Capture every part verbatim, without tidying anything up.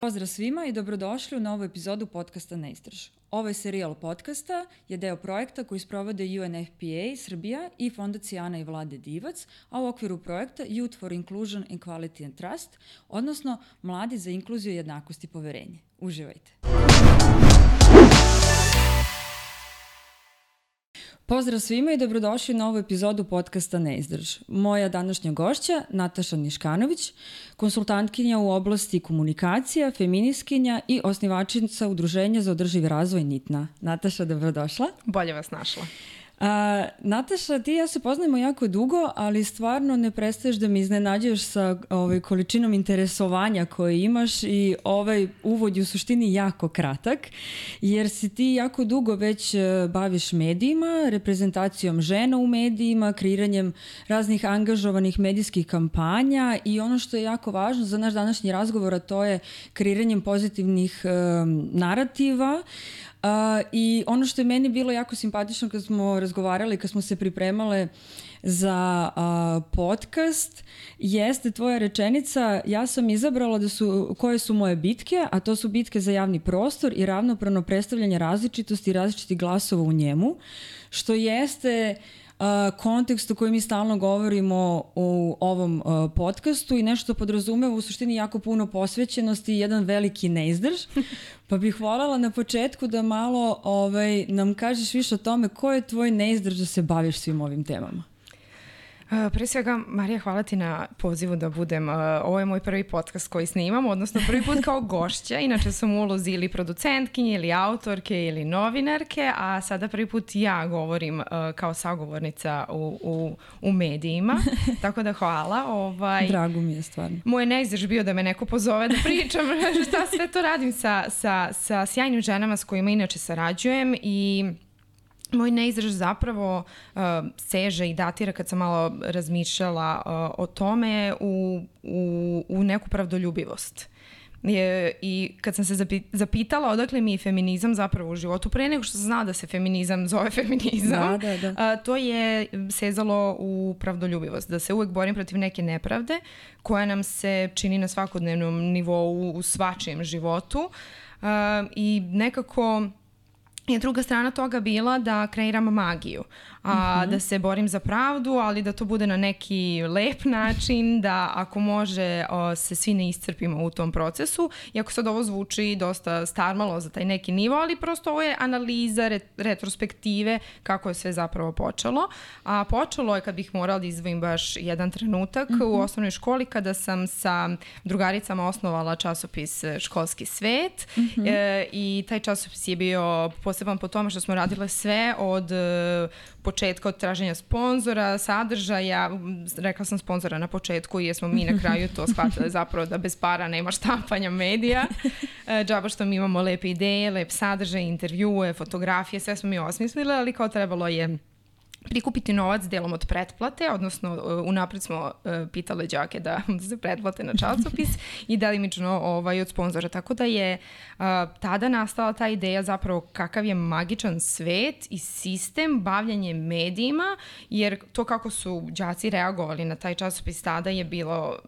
Pozdrav svima i dobrodošli u novu epizodu podcasta Ne istraž. Ovaj serijal podcasta je deo projekta koji sprovode U N F P A Srbija i Fondacija Ana i Vlade Divac, a u okviru projekta Youth for Inclusion, Equality and Trust, odnosno Mladi za inkluziju, jednakost i poverenje. Uživajte! Pozdrav svima i dobrodošli u novu epizodu podcasta Ne izdrž. Moja današnja gošća, Nataša Niškanović, konsultantkinja u oblasti komunikacija, feministkinja i osnivačica Udruženja za održivi razvoj N I T N A. Nataša, dobrodošla. Bolje vas našla. A, Nataša, ti i ja se poznajemo jako dugo, ali stvarno ne prestaješ da me iznenađuješ sa ovaj, količinom interesovanja koje imaš i ovaj uvod je u suštini jako kratak, jer si ti jako dugo već baviš medijima, reprezentacijom žena u medijima, kreiranjem raznih angažovanih medijskih kampanja i ono što je jako važno za naš današnji razgovor, a to je kreiranjem pozitivnih um, narativa. Uh, I ono što je meni bilo jako simpatično kad smo razgovarali, kad smo se pripremale za uh, podcast, jeste tvoja rečenica: ja sam izabrala da su, koje su moje bitke, a to su bitke za javni prostor i ravnopravno predstavljanje različitosti i različitih glasova u njemu, što jeste Uh, kontekst u kojem mi stalno govorimo u ovom uh, podcastu i nešto podrazumeva u suštini jako puno posvećenosti i jedan veliki neizdrž. Pa bih voljela na početku da malo ovaj, nam kažeš više o tome ko je tvoj neizdrž da se baviš svim ovim temama. Uh, pre svega, Marija, hvala ti na pozivu da budem. Uh, ovo je moj prvi podcast koji snimam, odnosno prvi put kao gošća. Inače sam u ulozi ili producentkinje, ili autorke, ili novinarke, a sada prvi put ja govorim uh, kao sagovornica u, u, u medijima. Tako da hvala. Ovaj, Drago mi je stvarno. Moj neizdrž bio da me neko pozove da pričam šta sve to radim sa, sa, sa sjajnim ženama s kojima inače sarađujem i moj neizdrž zapravo uh, seže i datira, kad sam malo razmišljala uh, o tome, u, u, u neku pravdoljubivost. Je, I kad sam se zapi, zapitala odakle mi je feminizam zapravo u životu, pre nego što sam znala da se feminizam zove feminizam, da, da, da. Uh, to je sezalo u pravdoljubivost, da se uvek borim protiv neke nepravde koja nam se čini na svakodnevnom nivou u svačijem životu uh, i nekako je druga strana toga bila da kreiram magiju, a uh-huh. da se borim za pravdu, ali da to bude na neki lep način, da ako može o, se svi ne iscrpimo u tom procesu. Iako sad ovo zvuči dosta starmalo za taj neki nivo, ali prosto ovo je analiza, re, retrospektive kako je sve zapravo počelo. A počelo je, kad bih morala da izdvojim baš jedan trenutak, uh-huh. u osnovnoj školi kada sam sa drugaricama osnovala časopis Školski svet, uh-huh. e, i taj časopis je bio poseban po tome što smo radile sve od početka, od traženja sponzora, sadržaja. Rekla sam sponzora na početku jer smo mi na kraju to shvatili zapravo da bez para nema štampanja medija. Džaba što mi imamo lepe ideje, lep sadržaj, intervjue, fotografije, sve smo mi osmislili, ali kao trebalo je prikupiti novac delom od pretplate, odnosno unapred smo uh, pitale đake da, da se pretplate na časopis i delimično ovaj, od sponzora. Tako da je uh, tada nastala ta ideja zapravo kakav je magičan svet i sistem bavljanje medijima, jer to kako su đaci reagovali na taj časopis tada je bilo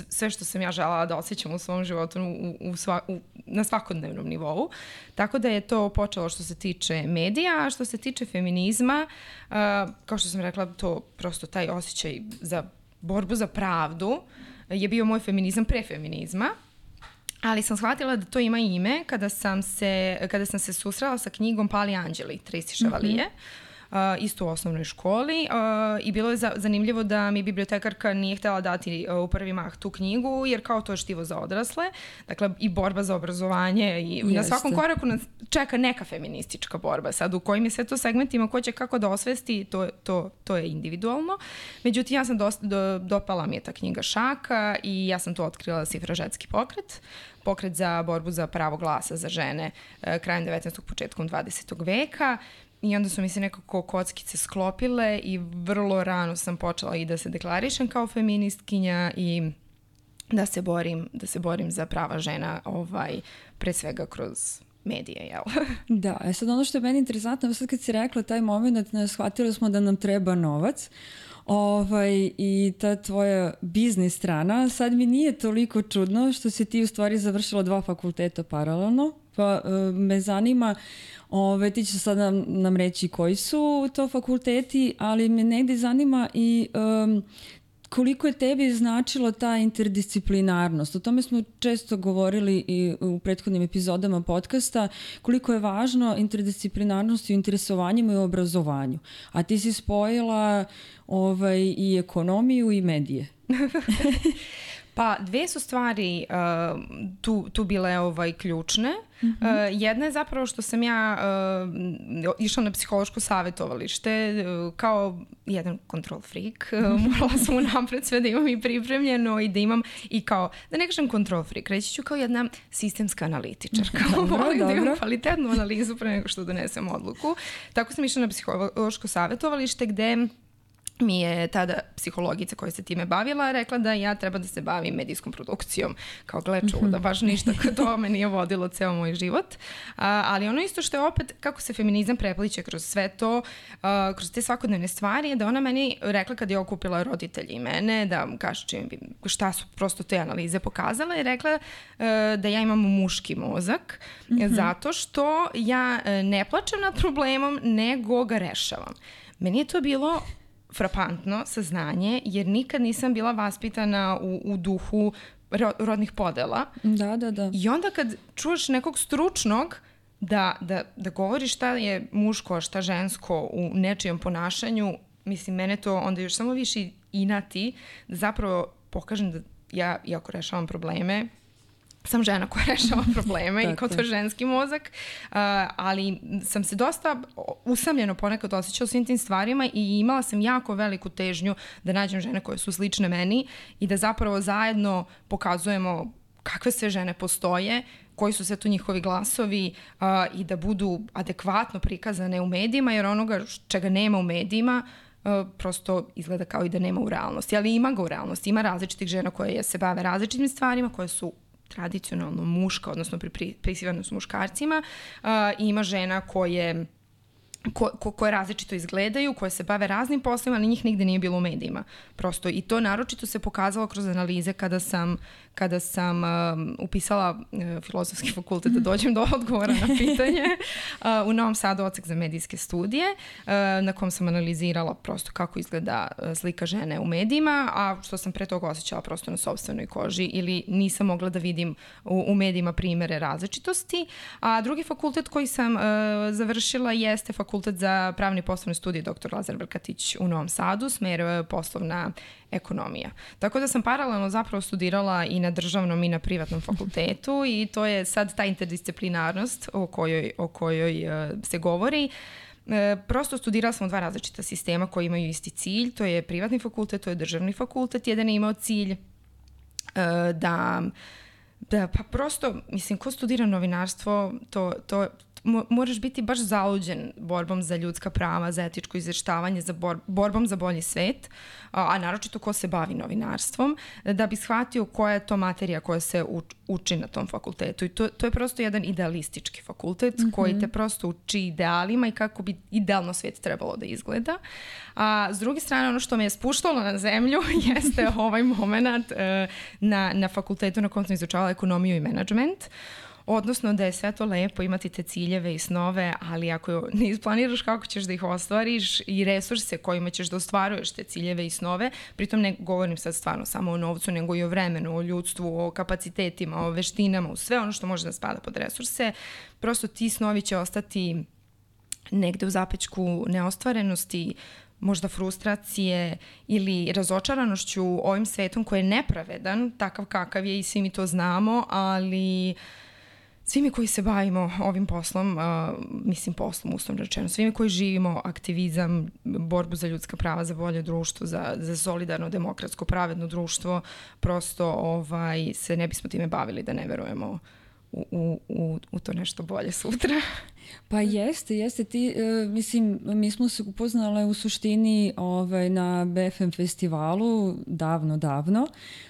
sve što sam ja želela da osjećam u svom životu u, u sva, u, na svakodnevnom nivou. Tako da je to počelo što se tiče medija, a što se tiče feminizma, uh, kao što sam rekla, to prosto taj osjećaj za borbu za pravdu je bio moj feminizam pre feminizma, ali sam shvatila da to ima ime kada sam se, kada sam se susrela sa knjigom Pali anđeli, Tracy Chevalier, mm-hmm. Uh, isto u osnovnoj školi uh, i bilo je za, zanimljivo da mi bibliotekarka nije htjela dati uh, u prvi mah tu knjigu, jer kao to je štivo za odrasle, dakle i borba za obrazovanje i Jeste. Na svakom koraku nas čeka neka feministička borba. Sad u kojim je sve to segmentima, ko će kako da osvesti, to, to, to je individualno. Međutim, ja sam dosta, do, dopala mi je ta knjiga šaka i ja sam to otkrila Sifrožetski pokret, pokret za borbu za pravo glasa za žene uh, krajem devetnaestog početkom dvadesetog veka. I onda su mi se nekako kockice sklopile i vrlo rano sam počela i da se deklarišem kao feministkinja i da se borim, da se borim za prava žena, ovaj, pre svega kroz medije, jel? Da, e sad ono što je meni interesantno, sad kad si rekla taj moment, shvatili smo da nam treba novac, Ovaj, i ta tvoja biznis strana, sad mi nije toliko čudno što si ti u stvari završila dva fakulteta paralelno, pa uh, me zanima, ove, ti ćeš sad nam, nam reći koji su to fakulteti, ali me negdje zanima i um, koliko je tebi značila ta interdisciplinarnost. O tome smo često govorili i u prethodnim epizodama podcasta, koliko je važno interdisciplinarnost u interesovanjima i u obrazovanju. A ti si spojila ovaj, i ekonomiju i medije. Pa dve su stvari uh, tu, tu bile ovaj, ključne. Mm-hmm. Uh, jedna je zapravo što sam ja uh, išla na psihološko savjetovalište uh, kao jedan control freak. Uh, morala sam unapred sve da imam i pripremljeno i da imam i kao, da ne kažem control freak, reći ću kao jedna sistemska analitičarka. Dobro, volim dobro. da imam kvalitetnu analizu pre nego što donesem odluku. Tako sam išla na psihološko savjetovalište gde mi je tada psihologica koja se time bavila rekla da ja treba da se bavim medijskom produkcijom. Kao gleču, da baš ništa kad to me nije vodilo ceo moj život. A, ali ono isto što je opet kako se feminizam prepliče kroz sve to, a, kroz te svakodnevne stvari, je da ona meni rekla kad je okupila roditelji i mene, da kaže čim bi, šta su prosto te analize pokazale, i rekla a, da ja imam muški mozak, mm-hmm. zato što ja ne plačem nad problemom, nego ga rešavam. Meni je to bilo frapantno saznanje, jer nikad nisam bila vaspitana u, u duhu ro, rodnih podela. Da, da, da. I onda kad čuješ nekog stručnog da, da, da govori šta je muško, šta žensko u nečijem ponašanju, mislim, mene to onda još samo više inati da zapravo pokažem da ja, iako rešavam probleme, sam žena koja rešava probleme i kao to je ženski mozak, uh, ali sam se dosta usamljeno ponekad osjećala svim tim stvarima i imala sam jako veliku težnju da nađem žene koje su slične meni i da zapravo zajedno pokazujemo kakve sve žene postoje, koji su sve tu njihovi glasovi uh, i da budu adekvatno prikazane u medijima, jer onoga čega nema u medijima Uh, prosto izgleda kao i da nema u realnosti, ali ima ga u realnosti. Ima različitih žena koje se bave različitim stvarima, koje su tradicionalno muška, odnosno pri, prisivane su muškarcima, uh, i ima žena koje, ko, ko, koje različito izgledaju, koje se bave raznim poslovima, ali njih nigde nije bilo u medijima. Prosto i to naročito se pokazalo kroz analize kada sam, kada sam um, upisala uh, filozofski fakultet da dođem do odgovora na pitanje uh, u Novom Sadu odsek za medijske studije, uh, na kom sam analizirala prosto kako izgleda uh, slika žene u medijima, a što sam pre toga osjećala prosto na sopstvenoj koži ili nisam mogla da vidim u, u medijima primere različitosti. A drugi fakultet koji sam uh, završila jeste fakultet za pravni poslovne studije doktor Lazar Brkatić u Novom Sadu, smer poslovna ekonomija. Tako da sam paralelno zapravo studirala i na državnom i na privatnom fakultetu i to je sad ta interdisciplinarnost o kojoj, o kojoj uh, se govori. Uh, prosto studirala sam u dva različita sistema koji imaju isti cilj, to je privatni fakultet, to je državni fakultet. Jedan je imao cilj uh, da, da, pa prosto, mislim, ko studira novinarstvo, to, to moraš biti baš zaluđen borbom za ljudska prava, za etičko izveštavanje, za bor, borbom za bolji svet, a, a naročito ko se bavi novinarstvom, da bi shvatio koja je to materija koja se uč, uči na tom fakultetu. I to, to je prosto jedan idealistički fakultet, mm-hmm. koji te prosto uči idealima i kako bi idealno svet trebalo da izgleda. A s druge strane, ono što me je spuštalo na zemlju jeste ovaj moment e, na, na fakultetu na kojem sam izučavala ekonomiju i menadžment. Odnosno da je sve to lepo imati te ciljeve i snove, ali ako ne isplaniraš kako ćeš da ih ostvariš i resurse kojima ćeš da ostvaruješ te ciljeve i snove, pritom ne govorim sad stvarno samo o novcu, nego i o vremenu, o ljudstvu, o kapacitetima, o veštinama, o sve ono što može da spada pod resurse, prosto ti snovi će ostati negde u zapećku neostvarenosti, možda frustracije ili razočaranošću ovim svetom koji je nepravedan, takav kakav je i svi mi to znamo, ali svi mi koji se bavimo ovim poslom, uh, mislim poslom uslovno rečeno, svi mi koji živimo aktivizam, borbu za ljudska prava, za bolje društvo, za, za solidarno, demokratsko, pravedno društvo, prosto ovaj, se ne bismo time bavili da ne verujemo u, u, u, u to nešto bolje sutra. Pa jeste, jeste. Ti, uh, mislim, mi smo se upoznale u suštini ovaj, na B F M festivalu davno, davno,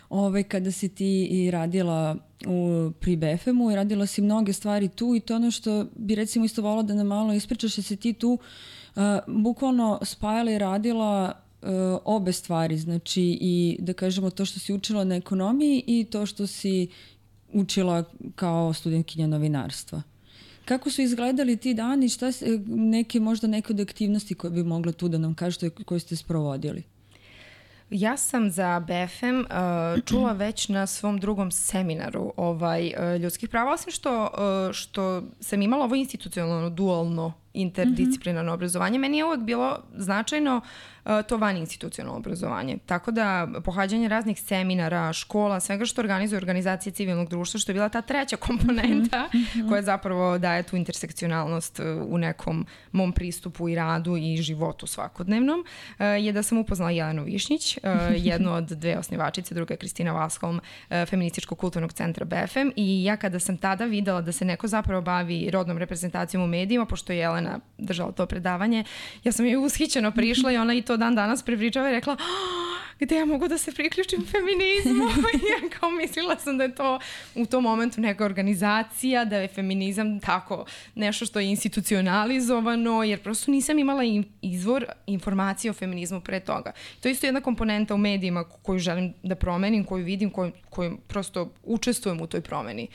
ovaj, kada si ti i radila u, pri B F M-u i radila si mnoge stvari tu i to ono što bi recimo isto volila da nam malo ispričaš, da si ti tu uh, bukvalno spajala i radila obe stvari, znači i da kažemo to što si učila na ekonomiji i to što si učila kao studentkinja novinarstva. Kako su izgledali ti dani, šta se, neke, možda neke od aktivnosti koje bi mogla tu da nam kažete koje ste sprovodili? Ja sam za B F M uh, čula već na svom drugom seminaru ovaj, uh, ljudskih prava, osim što, uh, što sam imala ovo institucionalno, dualno interdisciplinarno mm-hmm. obrazovanje. Meni je uvek bilo značajno uh, to van institucionalno obrazovanje. Tako da pohađanje raznih seminara, škola, svega što organizuje organizacije civilnog društva, što je bila ta treća komponenta mm-hmm. koja zapravo daje tu intersekcionalnost uh, u nekom mom pristupu i radu i životu svakodnevnom, uh, je da sam upoznala Jelenu Višnjić, uh, jednu od dve osnivačice, druga je Kristina Vasholm, uh, Feminističkog kulturnog centra B F M, i ja kada sam tada videla da se neko zapravo bavi rodnom reprezentacijom u medijima, pošto je Jelena držala to predavanje, ja sam joj ushićeno prišla i ona i to dan danas prepričava i rekla, gde ja mogu da se priključim feminizmu? I ja kao mislila sam da je to u tom momentu neka organizacija, da je feminizam tako nešto što je institucionalizovano, jer prosto nisam imala izvor informacije o feminizmu pre toga. To je isto jedna komponenta u medijima koju želim da promenim, koju vidim, koju, koju prosto učestvujem u toj promeni.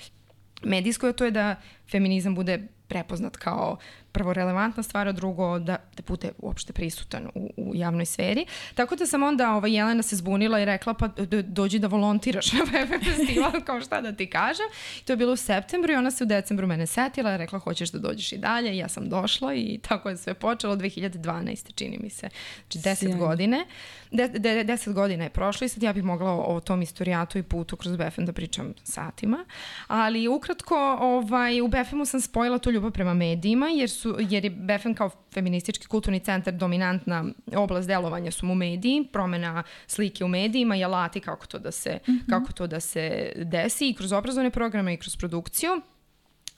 Medijsko je to je da feminizam bude prepoznat kao prvo relevantna stvar, a drugo da, da bude uopšte prisutan u, u javnoj sferi. Tako da sam onda ova Jelena se zbunila i rekla pa dođi da volontiraš na B F M festival, kao šta da ti kažem. I to je bilo u septembru i ona se u decembru mene setila i rekla hoćeš da dođeš i dalje. I ja sam došla i tako je sve počelo dve hiljade dvanaeste čini mi se. Znači deset Sjajno. godine. De, de, deset godina je prošlo i sad ja bih mogla o, o tom istorijatu i putu kroz B F M da pričam satima. Ali ukratko ovaj, u B F M-u sam spojila tu ljubav prema medijima jer su jer je B F M kao feministički kulturni centar dominantna oblast delovanja su mu mediji, promena slike u medijima i alati kako to da se, mm-hmm. kako to da se desi i kroz obrazovne programe i kroz produkciju.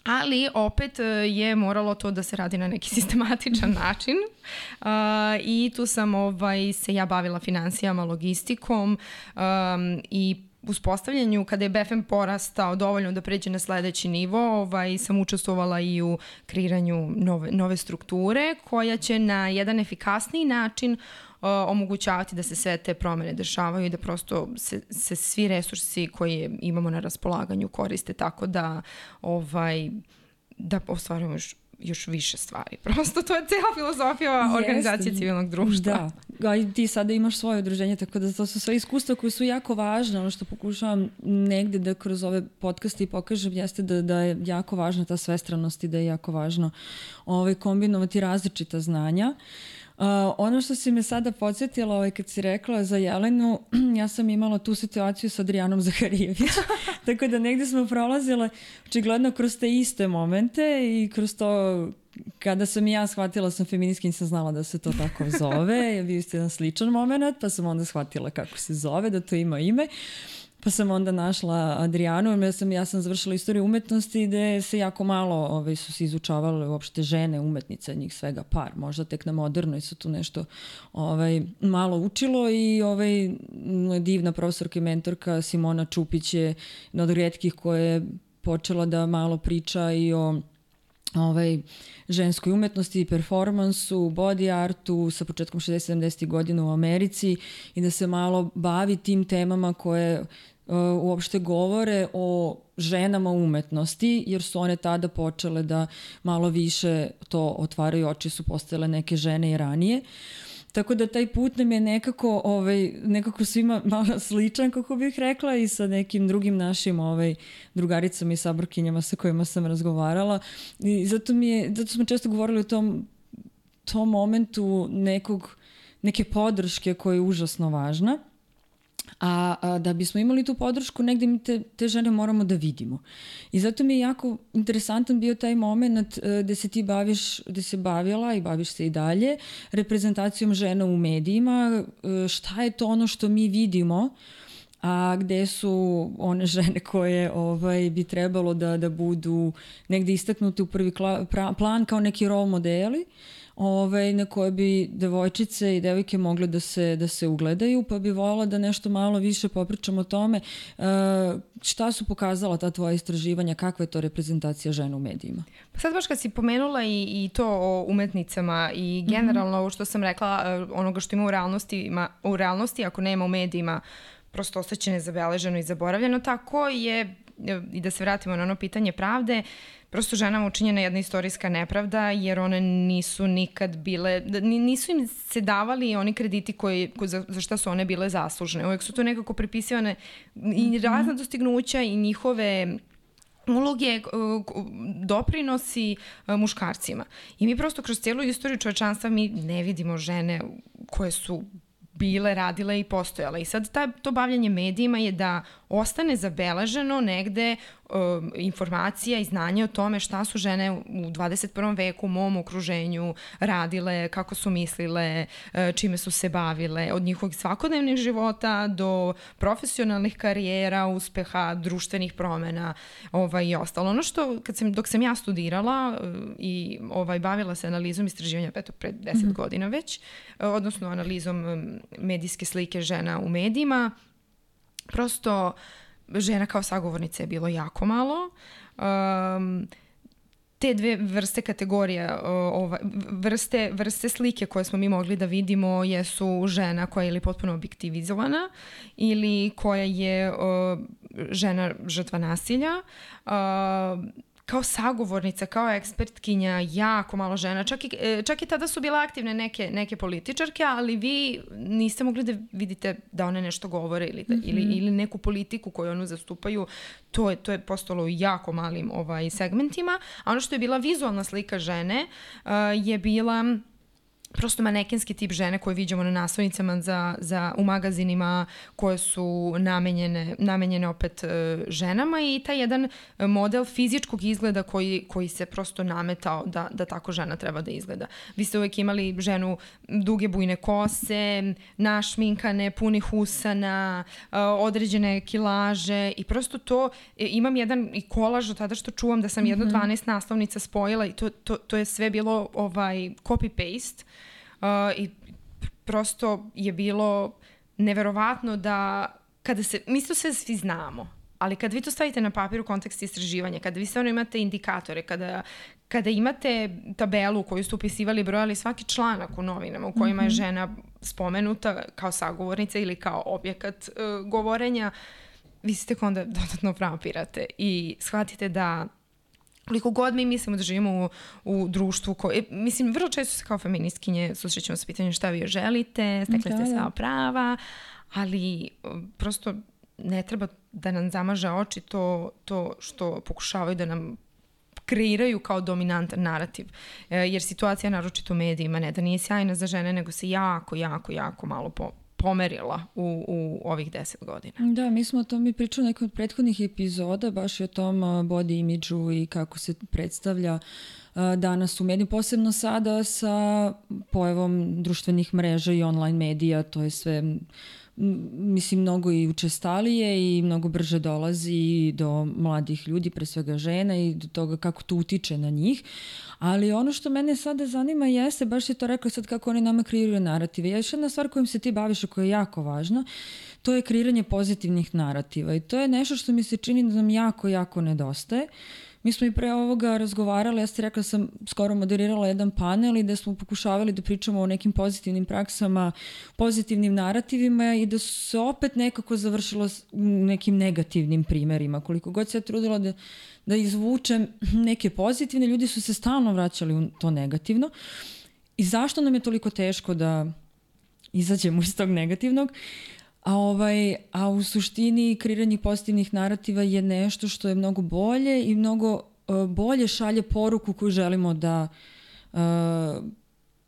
Ali opet je moralo to da se radi na neki sistematičan način uh, i tu sam ovaj, se ja bavila finansijama, logistikom um, i uspostavljanju, kada je B F M porastao dovoljno da pređe na sledeći nivo, ovaj, sam učestvovala i u kreiranju nove, nove strukture koja će na jedan efikasniji način uh, omogućavati da se sve te promene dešavaju i da prosto se, se svi resursi koje imamo na raspolaganju koriste tako da, ovaj, da ostvarujemo još još više stvari. Prosto to je cijela filozofija organizacije civilnog društva. Da, a ti sada imaš svoje udruženje, tako da to su sve iskustva koje su jako važne. Ono što pokušavam negde da kroz ove podcaste i pokažem jeste da, da je jako važna ta svestranost i da je jako važno ovaj, kombinovati različita znanja. Uh, ono što si me sada podsjetila, ovaj, kad si rekla za Jelenu, ja sam imala tu situaciju sa Adrijanom Zaharijević, tako da negde smo prolazile očigledno kroz te iste momente i kroz to kada sam i ja shvatila sam feministkinja, nisam znala da se to tako zove, je bio isto jedan sličan moment, pa sam onda shvatila kako se zove, da to ima ime. Pa sam onda našla Adrijanu, ja sam, ja sam završila istoriju umetnosti gde se jako malo ovaj, su se izučavale uopšte žene umetnice, njih svega par, možda tek na modernoj su tu nešto ovaj, malo učilo i ovaj, divna profesorka i mentorka Simona Čupić je jedna od rijetkih koja je počela da malo priča i o ovaj, ženskoj umetnosti i performansu, body artu sa početkom šezdesetih sedamdesetih godina u Americi i da se malo bavi tim temama koje uh, uopšte govore o ženama umetnosti, jer su one tada počele da malo više to otvaraju oči, su postojale neke žene i ranije. Tako da taj put nam je nekako, ovaj, nekako svima malo sličan, kako bih rekla, i sa nekim drugim našim ovaj, drugaricama i saborkinjama sa kojima sam razgovarala. I zato, mi je, zato smo često govorili o tom, tom momentu nekog, neke podrške koja je užasno važna. A, a da bismo imali tu podršku, negde mi te, te žene moramo da vidimo. I zato mi je jako interesantan bio taj moment gde se ti baviš, gde se bavila i baviš se i dalje reprezentacijom žena u medijima. Šta je to ono što mi vidimo a gde su one žene koje ovaj, bi trebalo da, da budu negde istaknute u prvi kla, pra, plan kao neki role modeli, ovaj, na koje bi devojčice i devojke mogle da se, da se ugledaju, pa bi voljela da nešto malo više popričamo o tome uh, šta su pokazala ta tvoja istraživanja, kakva je to reprezentacija žena u medijima. Pa sad baš kad si pomenula i, i to o umetnicama i generalno ovo što sam rekla, onoga što ima u realnosti, ima, u realnosti ako nema u medijima, prosto ostaće nezabeleženo i zaboravljeno, tako je, i da se vratimo na ono pitanje pravde, prosto ženama učinjena jedna istorijska nepravda, jer one nisu nikad bile, nisu im se davali oni krediti koji, za, za šta su one bile zaslužne. Uvijek su to nekako pripisivane i razna dostignuća i njihove uloge, doprinosi muškarcima. I mi prosto kroz cijelu istoriju čovečanstva mi ne vidimo žene koje su bile, radile i postojale. I sad ta, to bavljanje medijima je da ostane zabeleženo negde um, informacija i znanje o tome šta su žene u dvadeset prvom veku u mom okruženju radile, kako su mislile, čime su se bavile, od njihovih svakodnevnih života do profesionalnih karijera, uspeha, društvenih promena ovaj, i ostalo. Ono što, kad sam, dok sam ja studirala i ovaj, bavila se analizom istraživanja, eto, pred deset mm-hmm. godina već, odnosno analizom medijske slike žena u medijima, prosto žena kao sagovornica je bilo jako malo. Um, te dve vrste kategorija, ova, vrste, vrste slike koje smo mi mogli da vidimo jesu žena koja je ili potpuno objektivizovana ili koja je uh, žena žrtva nasilja. Uh, kao sagovornica, kao ekspertkinja, jako malo žena. Čak i, čak i tada su bile aktivne neke, neke političarke, ali vi niste mogli da vidite da one nešto govore ili, da, mm-hmm. ili, ili neku politiku koju onu zastupaju. To je, to je postalo u jako malim ovaj, segmentima. A ono što je bila vizualna slika žene uh, je bila prosto manekenski tip žene koje viđamo na naslovnicama za, za, u magazinima koje su namenjene, namenjene opet e, ženama i taj jedan model fizičkog izgleda koji, koji se prosto nametao da, da tako žena treba da izgleda. Vi ste uvijek imali ženu duge bujne kose, našminkane, punih usana, e, određene kilaže i prosto to, e, imam jedan i kolaž od tada što čuvam da sam jedno mm-hmm. dvanaest naslovnica spojila i to, to, to je sve bilo ovaj, copy-paste. Uh, i prosto je bilo neverovatno da kada se, mi to sve svi znamo, ali kada vi to stavite na papir u kontekst istraživanja, kada vi stvarno imate indikatore, kada, kada imate tabelu koju ste upisivali, brojali svaki članak u novinama u kojima je žena spomenuta kao sagovornica ili kao objekat uh, govorenja, vi se tek onda dodatno frapirate i shvatite da koliko god mi mislimo da živimo u, u društvu koje, mislim, vrlo često se kao feministkinje susrećemo sa pitanjem šta vi želite, stekli ste sva prava, ali prosto ne treba da nam zamaže oči to, to što pokušavaju da nam kreiraju kao dominantan narativ. E, jer situacija naročito u medijima ne da nije sjajna za žene, nego se jako, jako, jako malo po pomerila u, u ovih deset godina. Da, mi smo o tom i pričali nekoj od prethodnih epizoda, baš i o tom body imidžu i kako se predstavlja danas u mediju, posebno sada sa pojavom društvenih mreža i online medija, to je sve mislim mnogo i učestalije i mnogo brže dolazi do mladih ljudi, pre svega žena i do toga kako to utiče na njih. Ali ono što mene sada zanima jeste, baš je to rekla sad kako oni nama kreiraju narative. Još jedna stvar kojom se ti baviš, koja je jako važna, to je kreiranje pozitivnih narativa i to je nešto što mi se čini da nam jako, jako nedostaje. Mi smo i pre ovoga razgovarali, ja ste rekla sam skoro moderirala jedan panel i da smo pokušavali da pričamo o nekim pozitivnim praksama, pozitivnim narativima i da su se opet nekako završilo nekim negativnim primerima. Koliko god se ja trudila da, da izvučem neke pozitivne, ljudi su se stalno vraćali u to negativno. I zašto nam je toliko teško da izađemo iz tog negativnog? A, ovaj, a u suštini kreiranje pozitivnih narativa je nešto što je mnogo bolje i mnogo uh, bolje šalje poruku koju želimo da uh,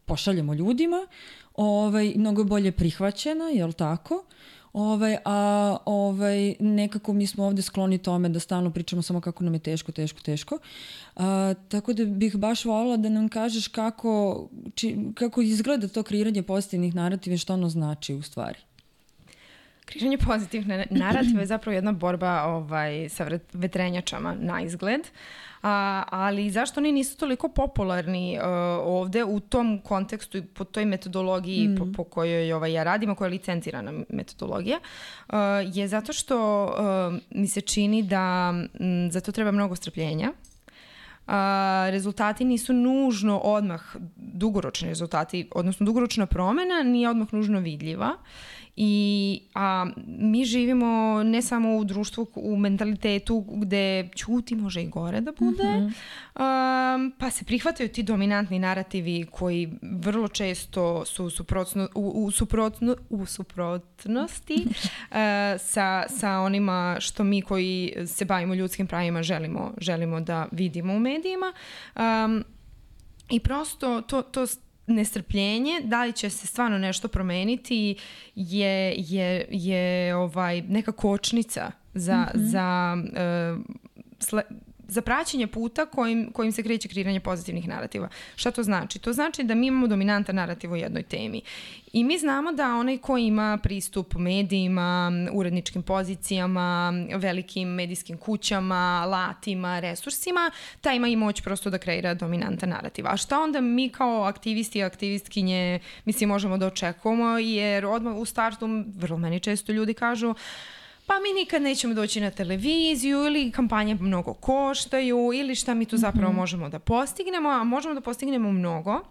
pošaljemo ljudima. Ovaj, mnogo bolje prihvaćena, jel tako? Ovaj, a ovaj, nekako mi smo ovde skloni tome da stalno pričamo samo kako nam je teško, teško, teško. Uh, tako da bih baš voljela da nam kažeš kako, či, kako izgleda to kreiranje pozitivnih narativa i što ono znači u stvari. Kreiranje pozitivne narative je zapravo jedna borba ovaj, sa vetrenjačama na izgled. A, ali zašto oni nisu toliko popularni uh, ovde u tom kontekstu i po toj metodologiji mm. po, po kojoj ovaj, ja radim, a koja je licencirana metodologija, uh, je zato što uh, mi se čini da m, za to treba mnogo strpljenja. Uh, rezultati nisu nužno odmah dugoročni rezultati, odnosno dugoročna promena nije odmah nužno vidljiva. I a mi živimo ne samo u društvu, u mentalitetu gde ćuti može i gore da bude, mm-hmm. um, pa se prihvataju ti dominantni narativi koji vrlo često su suprotno, u, u, suprotno, u suprotnosti uh, sa, sa onima što mi koji se bavimo ljudskim pravima želimo, želimo da vidimo u medijima. Um, I prosto to, to nestrpljenje, da li će se stvarno nešto promeniti je, je, je ovaj, neka kočnica za, mm-hmm. za, uh, sle, za praćenje puta kojim, kojim se kreće kreiranje pozitivnih narativa. Šta to znači? To znači da mi imamo dominantan narativ u jednoj temi. I mi znamo da onaj ko ima pristup medijima, uredničkim pozicijama, velikim medijskim kućama, alatima, resursima, taj ima i moć prosto da kreira dominantan narativ. A šta onda mi kao aktivisti i aktivistkinje mislim možemo da očekujemo, jer odmah u startu vrlo meni često ljudi kažu pa mi nikad nećemo doći na televiziju ili kampanje mnogo koštaju ili šta mi tu zapravo mm-hmm. možemo da postignemo, a možemo da postignemo mnogo.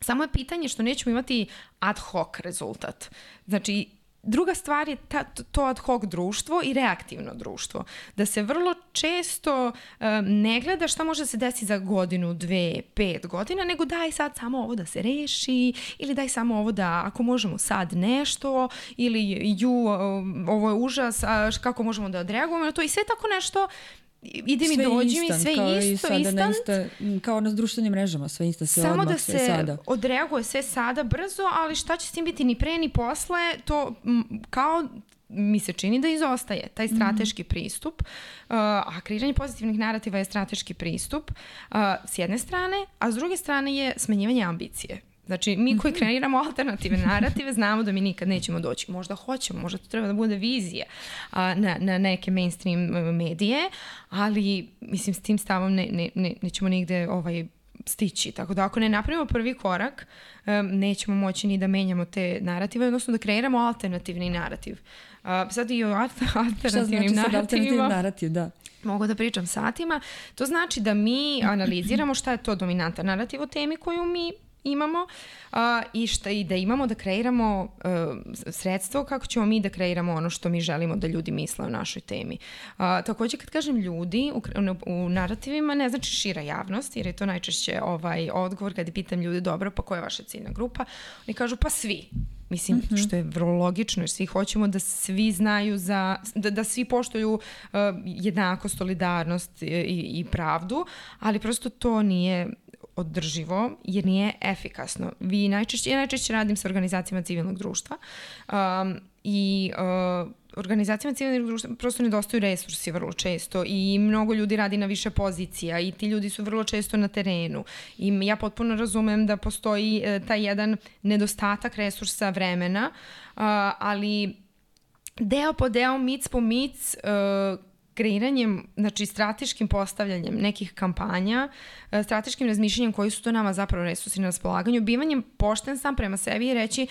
Samo je pitanje što nećemo imati ad hoc rezultat. Znači, druga stvar je ta, to ad hoc društvo i reaktivno društvo. Da se vrlo često um, ne gleda šta može se desiti za godinu, dve, pet godina, nego daj sad samo ovo da se reši ili daj samo ovo da ako možemo sad nešto ili ju, um, ovo je užas, a kako možemo da odreagujemo na to i sve tako nešto. Ide mi, dođi mi, sve kao isto, instant. Insta, kao na društvenim mrežama, sve insta, sve samo odmah, da sve se sada. odreaguje sve sada brzo, ali šta će s tim biti ni pre ni posle, to m, kao mi se čini da izostaje taj strateški mm-hmm. pristup, uh, a kreiranje pozitivnih narativa je strateški pristup uh, s jedne strane, a s druge strane je smanjivanje ambicije. Znači, mi koji kreiramo alternativne narative znamo da mi nikad nećemo doći. Možda hoćemo, možda to treba da bude vizija a, na, na neke mainstream medije, ali, mislim, s tim stavom ne, ne, ne, nećemo nigde ovaj, stići. Tako da ako ne napravimo prvi korak, um, nećemo moći ni da menjamo te narative, odnosno da kreiramo alternativni narativ. Uh, sad i o alternativnim znači narativima narativ, da. mogu da pričam satima. To znači da mi analiziramo šta je to dominantan narativ o temi koju mi imamo uh, i, šta, i da imamo da kreiramo uh, sredstvo kako ćemo mi da kreiramo ono što mi želimo da ljudi misle o našoj temi. Uh, također kad kažem ljudi u, u narativima ne znači šira javnost, jer je to najčešće ovaj odgovor kad pitam ljudi dobro pa koja je vaša ciljna grupa, oni kažu pa svi. Mislim, mm-hmm. što je vrlo logično, jer svi hoćemo da svi znaju za, da, da svi poštuju uh, jednakost, solidarnost i, i pravdu, ali prosto to nije održivo jer nije efikasno. Vi najčešće, ja najčešće radim sa organizacijama civilnog društva um, i uh, organizacijama civilnog društva prosto nedostaju resursi vrlo često i mnogo ljudi radi na više pozicija i ti ljudi su vrlo često na terenu i ja potpuno razumem da postoji uh, taj jedan nedostatak resursa vremena, uh, ali deo po deo, mic po mic, uh, kreiranjem, znači strateškim postavljanjem nekih kampanja, strateškim razmišljanjem koji su to nama zapravo resursi na raspolaganju, bivanjem pošten sam prema sebi i reći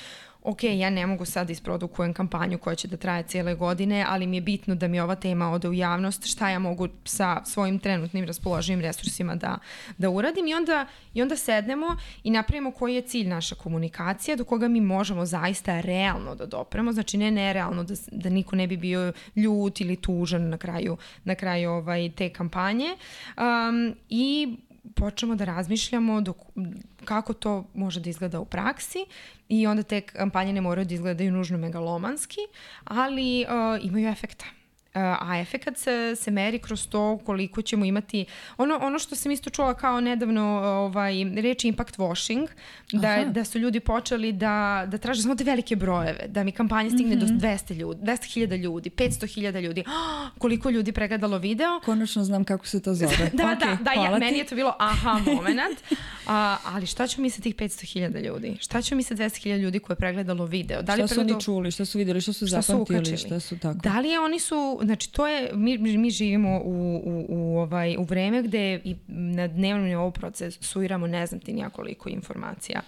ok, ja ne mogu sad isprodukujem kampanju koja će da traje cijele godine, ali mi je bitno da mi ova tema ode u javnost, šta ja mogu sa svojim trenutnim raspoloživim resursima da, da uradim i onda, i onda sednemo i napravimo koji je cilj naša komunikacija, do koga mi možemo zaista realno da dopremo, znači ne nerealno da, da niko ne bi bio ljut ili tužan na kraju, na kraju ovaj, te kampanje um, i počnemo da razmišljamo dok, kako to može da izgleda u praksi i onda te kampanje ne moraju da izgledaju nužno megalomanski, ali uh, imaju efekta. Uh, a efekat se, se meri kroz to koliko ćemo imati, ono, ono što sam isto čula kao nedavno ovaj, reči impact washing, da, da su ljudi počeli da, da traže samo te velike brojeve, da mi kampanja stigne mm-hmm. do dvesta ljudi, dvesta hiljada ljudi, petsto hiljada ljudi, oh, koliko ljudi pregledalo video. Konačno znam kako se to zove. da, okay, da, da, ja, meni je to bilo aha moment, A, ali šta ćemo mi sa tih petsto hiljada ljudi? Šta ćemo mi sa dvesta hiljada ljudi koje je pregledalo video? Da li šta su pregledalo... oni čuli, šta su vidjeli, šta su šta zapamtili, su šta su tako? Da li je oni su, znači to je, mi, mi živimo u, u, u, ovaj, u vreme gde i na dnevnom nivou procesuiramo ne znam ti nijakoliko informacija.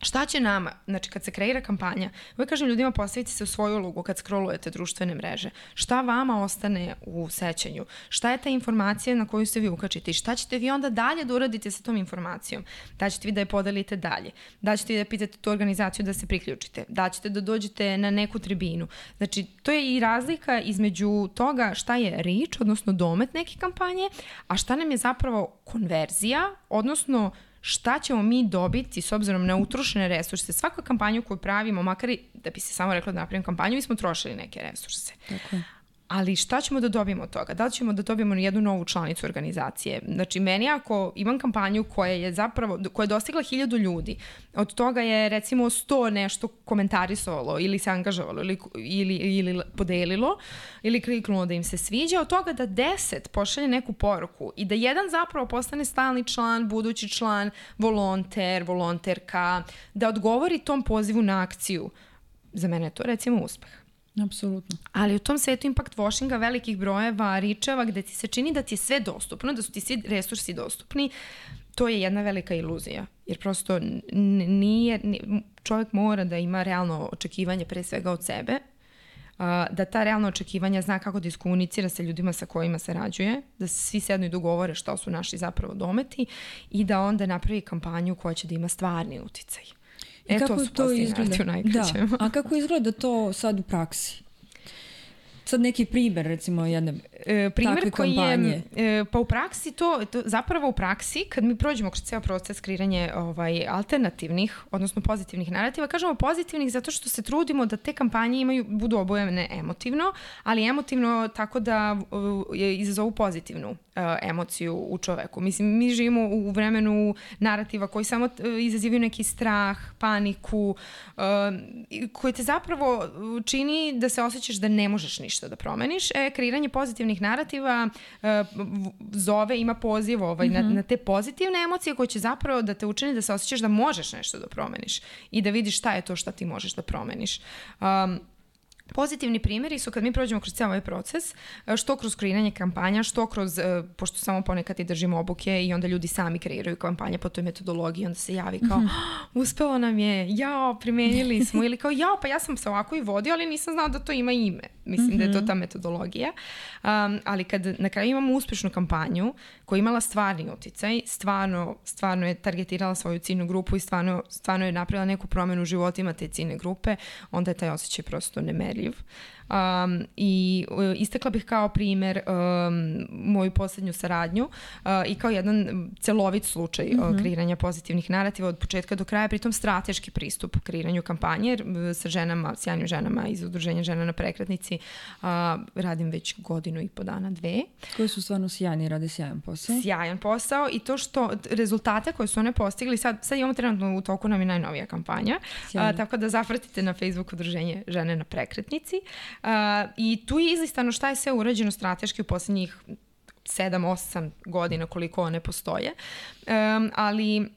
Šta će nama, znači kad se kreira kampanja, uvijek kažem ljudima postavite se u svoju ulogu kad scrollujete društvene mreže. Šta vama ostane u sećanju? Šta je ta informacija na koju se vi ukačite? I šta ćete vi onda dalje da uradite sa tom informacijom? Da ćete vi da je podelite dalje? Da ćete vi da pitate tu organizaciju da se priključite? Da ćete da dođete na neku tribinu? Znači, to je i razlika između toga šta je reach, odnosno domet neke kampanje, a šta nam je zapravo konverzija, odnosno šta ćemo mi dobiti s obzirom na utrošene resurse. Svaku kampanju koju pravimo, makar i da bi se samo rekla da napravim kampanju, mi smo trošili neke resurse. Tako je. Ali šta ćemo da dobijemo od toga? Da li ćemo da dobijemo jednu novu članicu organizacije? Znači, meni ako imam kampanju koja je zapravo, koja je dostigla hiljadu ljudi, od toga je recimo sto nešto komentarisalo ili se angažovalo ili, ili, ili podelilo ili kliknulo da im se sviđa, od toga da deset pošalje neku poruku i da jedan zapravo postane stalni član, budući član, volonter, volonterka, da odgovori tom pozivu na akciju. Za mene je to recimo uspeh. Apsolutno. Ali u tom svetu impact washinga, velikih brojeva, ričeva, gde ti se čini da ti je sve dostupno, da su ti svi resursi dostupni, to je jedna velika iluzija. Jer prosto nije, čovjek mora da ima realno očekivanje pre svega od sebe, da ta realna očekivanja zna kako da iskomunicira sa ljudima sa kojima se rađuje, da se svi sednu i dogovore što su naši zapravo dometi i da onda napravi kampanju koja će da ima stvarni uticaj. I e, kako to, to izgleda? Da. A kako izgleda to sad u praksi? Sad neki primjer, recimo, jedne e, takve koji kampanje. Je, e, pa u praksi to, to, zapravo u praksi, kad mi prođemo kroz ceo proces kreiranja ovaj, alternativnih, odnosno pozitivnih narativa, kažemo pozitivnih zato što se trudimo da te kampanje imaju, budu obojene emotivno, ali emotivno tako da uh, izazovu pozitivnu uh, emociju u čoveku. Mislim, mi živimo u vremenu narativa koji samo uh, izazivaju neki strah, paniku, uh, koji te zapravo čini da se osjećaš da ne možeš ništa da promeniš. E, kreiranje pozitivnih narativa uh, zove, ima poziv ovaj, mm-hmm. na, na te pozitivne emocije koje će zapravo da te učini da se osjećaš da možeš nešto da promeniš i da vidiš šta je to šta ti možeš da promeniš. Um, Pozitivni primjeri su kad mi prođemo kroz cijel ovaj proces, što kroz kreiranje kampanja, što kroz, pošto samo ponekad i držimo obuke i onda ljudi sami kreiraju kampanje po toj metodologiji, onda se javi kao, mm-hmm. uspelo nam je, jao, primenili smo, ili kao, jao, pa ja sam se ovako i vodio, ali nisam znao da to ima ime. Mislim mm-hmm. da je to ta metodologija. Um, ali kad na kraju imamo uspješnu kampanju koja je imala stvarni uticaj, stvarno, stvarno je targetirala svoju ciljnu grupu i stvarno, stvarno je napravila neku promjenu u životima te ciljne grupe, onda je taj osjećaj prosto nemerljiv. Um, i uh, istakla bih kao primjer um, moju posljednju saradnju uh, i kao jedan celovit slučaj mm-hmm. uh, kreiranja pozitivnih narativa od početka do kraja, pritom strateški pristup kreiranju kampanje uh, sa ženama, sjajnim ženama iz udruženja Žena na prekretnici uh, radim već godinu i po dana, dve. Koji su stvarno sjajni, rade sjajan posao. Sjajan posao i to što rezultate koje su one postigli, sad, sad imamo trenutno u toku nam je najnovija kampanja, uh, tako da zapratite na Facebook udruženje Žene na prekretnici. Uh, I tu je izlistano šta je sve urađeno strateški u posljednjih sedam osam godina koliko one postoje. Um, ali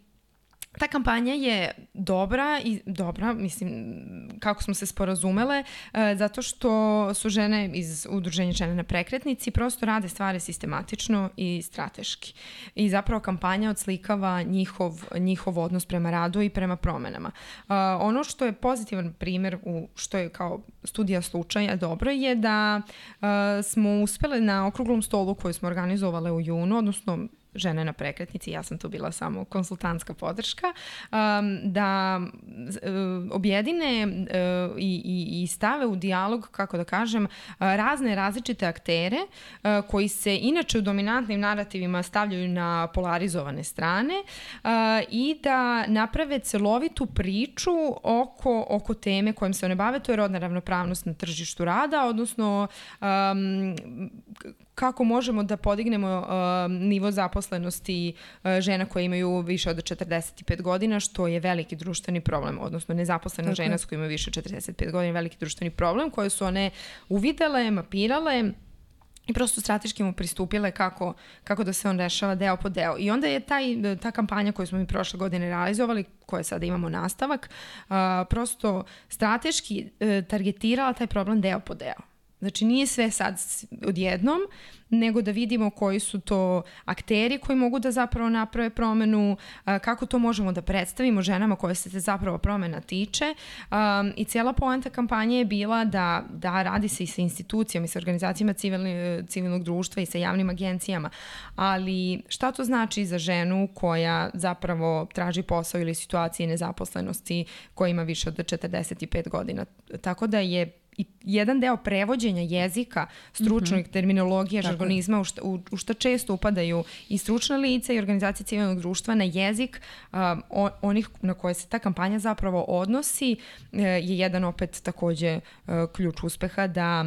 ta kampanja je dobra i dobra, mislim, kako smo se sporazumele, e, zato što su žene iz udruženja Žene na prekretnici prosto rade stvari sistematično i strateški. I zapravo kampanja odslikava njihov, njihov odnos prema radu i prema promenama. E, ono što je pozitivan primjer, u, što je kao studija slučaja dobro, je da e, smo uspjeli na okruglom stolu koju smo organizovale u junu, odnosno Žene na prekretnici, ja sam tu bila samo konsultantska podrška, um, da uh, objedine uh, i, i, i stave u dijalog, kako da kažem, uh, razne različite aktere uh, koji se inače u dominantnim narativima stavljaju na polarizovane strane uh, i da naprave celovitu priču oko, oko teme kojom se one bave, to je rodna ravnopravnost na tržištu rada, odnosno um, kako možemo da podignemo uh, nivo zaposlenosti uh, žena koje imaju više od četrdeset pet godina, što je veliki društveni problem, odnosno nezaposlena okay. žena koja ima više od četrdeset pet godina, veliki društveni problem, koje su one uvidele, mapirale i prosto strateški mu pristupile kako, kako da se on rešava deo po deo. I onda je taj, ta kampanja koju smo mi prošle godine realizovali, koje sada imamo nastavak, uh, prosto strateški uh, targetirala taj problem deo po deo. Znači nije sve sad odjednom, nego da vidimo koji su to akteri koji mogu da zapravo naprave promenu, kako to možemo da predstavimo ženama koje se zapravo promena tiče. I cijela poanta kampanje je bila da, da radi se i sa institucijama i sa organizacijama civilni, civilnog društva i sa javnim agencijama. Ali šta to znači za ženu koja zapravo traži posao ili situacije nezaposlenosti koja ima više od četrdeset pet godina? Tako da je i jedan deo prevođenja jezika, stručnog mm-hmm. terminologije, žargonizma, u šta, u, u šta često upadaju i stručna lica i organizacije civilnog društva na jezik um, on, onih na koje se ta kampanja zapravo odnosi, uh, je jedan opet takođe uh, ključ uspeha da,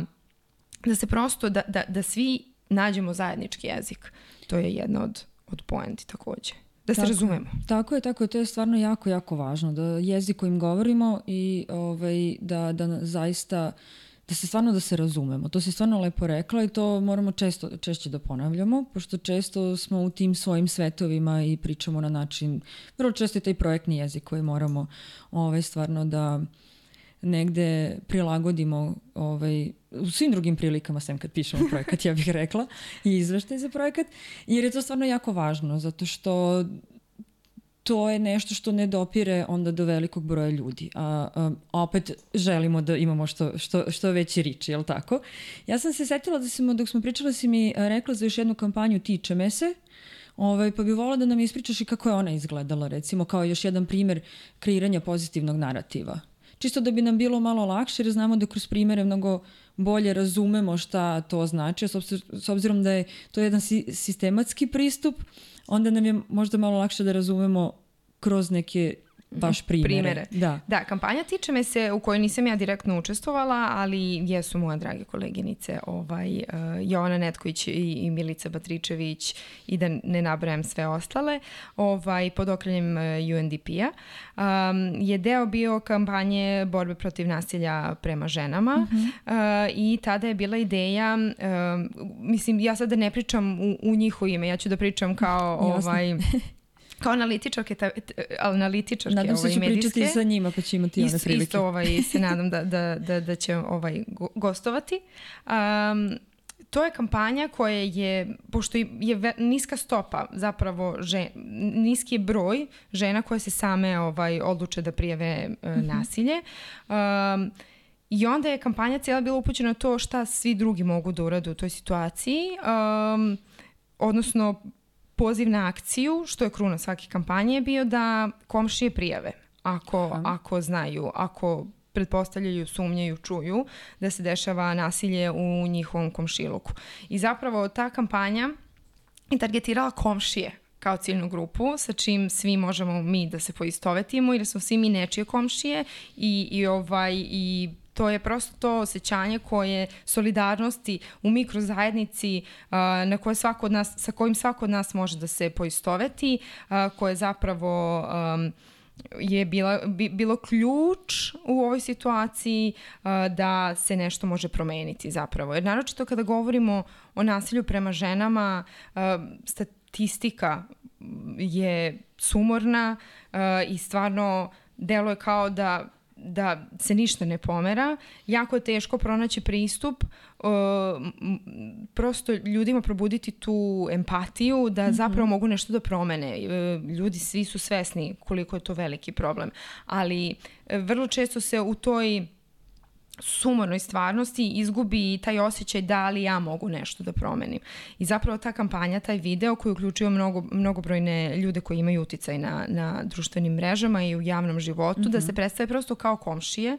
da se prosto, da, da, da svi nađemo zajednički jezik. To je jedna od, od poenti takođe. Da se tako, razumemo. Tako je, tako je. To je stvarno jako, jako važno. Da jezik kojim govorimo i ovaj, da, da zaista, da se stvarno da se razumemo. To si stvarno lepo rekla i to moramo često, češće da ponavljamo, pošto često smo u tim svojim svetovima i pričamo na način, vrlo često je taj projektni jezik koji moramo ovaj, stvarno da negde prilagodimo ovaj, u svim drugim prilikama, sem kad pišemo projekat, ja bih rekla, i izveštaj za projekat, jer je to stvarno jako važno, zato što to je nešto što ne dopire onda do velikog broja ljudi. A, a, a opet želimo da imamo što, što, što veći rič, je li tako? Ja sam se setila da sam, dok smo pričali, si mi rekla za još jednu kampanju Tiče me se, ovaj, pa bih volila da nam ispričaš i kako je ona izgledala, recimo kao još jedan primer kreiranja pozitivnog narativa. Čisto da bi nam bilo malo lakše, jer znamo da kroz primere mnogo bolje razumemo šta to znači, s obzirom da je to jedan sistematski pristup, onda nam je možda malo lakše da razumemo kroz neke baš primere. primere. Da. da, kampanja Tiče me se, u kojoj nisam ja direktno učestvovala, ali jesu moje drage koleginice ovaj, uh, Jovana Netković i, i Milica Batričević i da ne nabrajam sve ostale, ovaj, pod okriljem uh, U N D P-a. Um, je deo bio kampanje borbe protiv nasilja prema ženama mm-hmm. uh, i tada je bila ideja, uh, mislim, ja sada ne pričam u, u njihovo ime, ja ću da pričam kao ovaj... Kao analitičarke, ta, analitičarke nadam se ovaj, ću medijske. pričati sa njima pa će imati one prilike. Isto ovaj, se nadam da, da, da, da će ovaj, gostovati. Um, to je kampanja koja je, pošto je ve, niska stopa zapravo, žen, niski je broj žena koje se same ovaj, odluče da prijave uh, mm-hmm. nasilje. Um, I onda je kampanja cijela bila upućena na to šta svi drugi mogu da urade u toj situaciji. Um, odnosno, poziv na akciju, što je kruna svake kampanje, je bio da komšije prijave. Ako, ako znaju, ako pretpostavljaju, sumnjaju, čuju da se dešava nasilje u njihovom komšiluku. I zapravo ta kampanja je targetirala komšije kao ciljnu grupu, sa čim svi možemo mi da se poistovetimo, jer smo svi mi nečije komšije i, i, ovaj, i to je prosto to osjećanje koje solidarnosti u mikrozajednici uh, na koje svako od nas, sa kojim svako od nas može da se poistoveti, uh, koje zapravo um, je bila, bi, bilo ključ u ovoj situaciji uh, da se nešto može promeniti zapravo. Jer naročito kada govorimo o nasilju prema ženama, uh, statistika je sumorna uh, i stvarno deluje kao da da se ništa ne pomera. Jako je teško pronaći pristup, uh, prosto ljudima probuditi tu empatiju da zapravo mm-hmm. mogu nešto da promene. Uh, ljudi svi su svesni koliko je to veliki problem, ali uh, vrlo često se u toj sumornoj stvarnosti izgubi taj osjećaj da li ja mogu nešto da promenim. I zapravo ta kampanja, taj video koji uključuje mnogo, mnogobrojne ljude koji imaju uticaj na, na društvenim mrežama i u javnom životu, mm-hmm. da se predstave prosto kao komšije,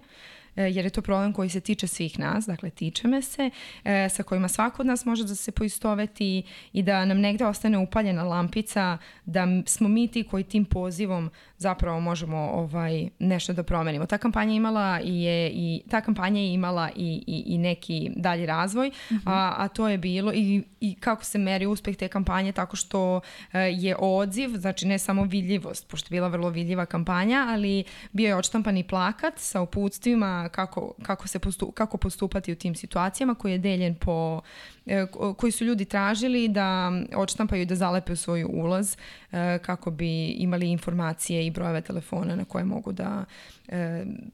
jer je to problem koji se tiče svih nas, dakle tiče me se, e, sa kojima svako od nas može da se poistoveti i da nam negde ostane upaljena lampica, da smo mi ti koji tim pozivom zapravo možemo ovaj, nešto da promenimo. Ta kampanja imala i je, i, ta kampanja je imala i, i, i neki dalji razvoj, mm-hmm. a, a to je bilo i, i kako se meri uspeh te kampanje, tako što e, je odziv, znači ne samo vidljivost, pošto je bila vrlo vidljiva kampanja, ali bio je odštampani plakat sa uputstvima uh, kako, kako, se postup, kako postupati u tim situacijama, koji je deljen po, uh, koji su ljudi tražili da odštampaju i da zalepe u svoj ulaz uh, kako bi imali informacije i brojeve telefona na koje mogu da uh,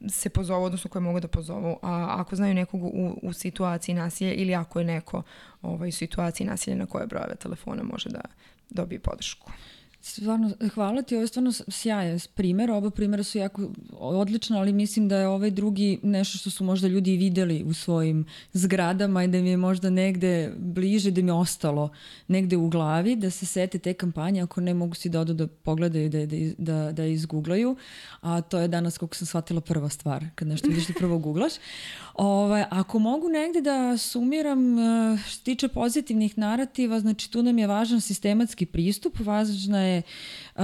se pozovu, odnosno koje mogu da pozovu. A ako znaju nekog u, u situaciji nasilja ili ako je neko ovaj, u situaciji nasilja na koje brojeve telefona može da dobije podršku. Stvarno, hvala ti, ovo je stvarno sjajan primjer, oba primjera su jako odlična, ali mislim da je ovaj drugi nešto što su možda ljudi vidjeli u svojim zgradama i da mi je možda negde bliže, da mi je ostalo negde u glavi, da se sete te kampanje, ako ne mogu si da odu da pogledaju, da, da, da, da izgooglaju, a to je danas, kako sam shvatila, prva stvar, kad nešto vidiš da prvo googlaš. Ovaj, ako mogu negde da sumiram što se tiče pozitivnih narativa, znači tu nam je važan sistematski pristup, važna je uh,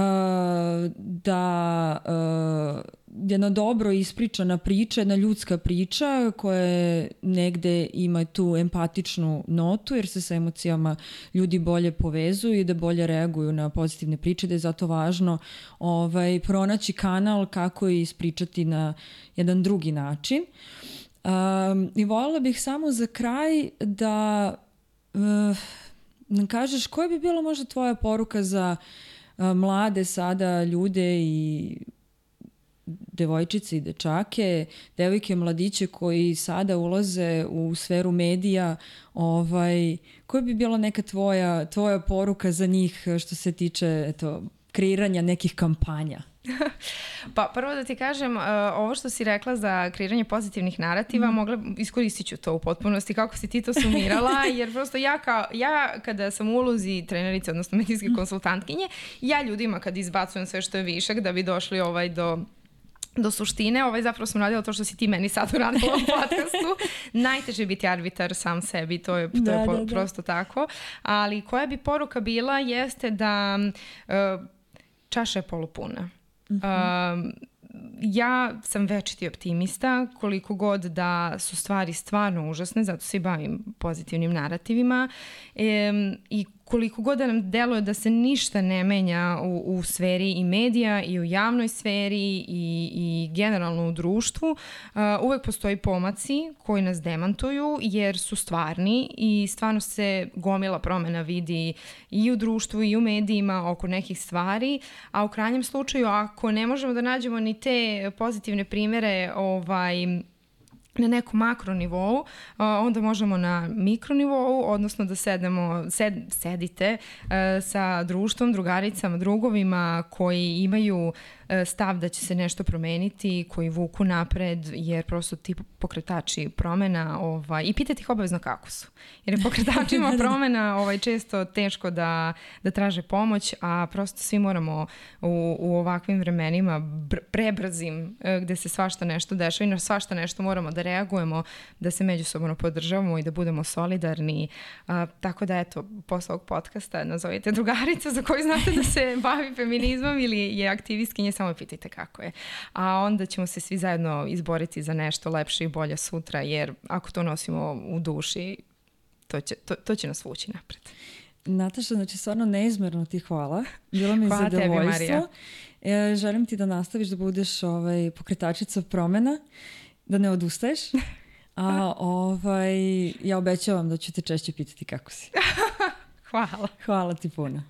da uh, jedna dobro ispričana priča, jedna ljudska priča koja negde ima tu empatičnu notu jer se sa emocijama ljudi bolje povezuju i da bolje reaguju na pozitivne priče, da je zato važno ovaj, pronaći kanal kako je ispričati na jedan drugi način. Um, I voljela bih samo za kraj da uh, nam kažeš koja bi bila možda tvoja poruka za uh, mlade sada ljude i devojčice i dečake, devojke, mladiće koji sada ulaze u sferu medija, ovaj, koja bi bila neka tvoja, tvoja poruka za njih što se tiče eto, kreiranja nekih kampanja? Pa prvo da ti kažem, uh, ovo što si rekla za kreiranje pozitivnih narativa, mm. mogla, iskoristit ću to u potpunosti kako si ti to sumirala, jer prosto ja, kao, ja kada sam u ulozi trenerice, odnosno medijske mm. konsultantkinje, ja ljudima kad izbacujem sve što je višak da bi došli ovaj do do suštine, ovaj zapravo sam radila to što si ti meni sad uradila u podcastu. Najteže je biti arbitar sam sebi, to je, to da, je po, da, da. prosto tako. Ali koja bi poruka bila jeste da uh, čaša je polupuna. Uh-huh. Uh, ja sam večiti optimista, koliko god da su stvari stvarno užasne, zato se i bavim pozitivnim narativima e, i koliko god da nam deluje da se ništa ne menja u, u sferi i medija i u javnoj sferi i, i generalno u društvu, uh, uvek postoji pomaci koji nas demantuju jer su stvarni i stvarno se gomila promena vidi i u društvu i u medijima oko nekih stvari, a u krajnjem slučaju ako ne možemo da nađemo ni te pozitivne primere ovaj, na nekom makro nivou, onda možemo na mikro nivou, odnosno da sednemo, sed, sedite sa društvom, drugaricama, drugovima koji imaju stav da će se nešto promeniti, koji vuku napred, jer prosto ti pokretači promena ovaj, i pitati ih obavezno kako su. Jer je pokretačima promena ovaj, često teško da, da traže pomoć, a prosto svi moramo u, u ovakvim vremenima br- prebrzim, gde se svašta nešto dešava i na svašta nešto moramo da reagujemo, da se međusobno podržavamo i da budemo solidarni. A, tako da eto, posle ovog podcasta nazovite drugaricu za koju znate da se bavi feminizmom ili je aktivistkinja, samo pitajte kako je. A onda ćemo se svi zajedno izboriti za nešto lepše i bolje sutra, jer ako to nosimo u duši, to će, to, to će nas vući napred. Nataša, znači stvarno neizmerno ti hvala. Bilo mi hvala zadovoljstvo. E, želim ti da nastaviš da budeš ovaj, pokretačica promena, da ne odustaješ. A ovaj, ja obećavam da ću te češće pitati kako si. Hvala. Hvala ti puno.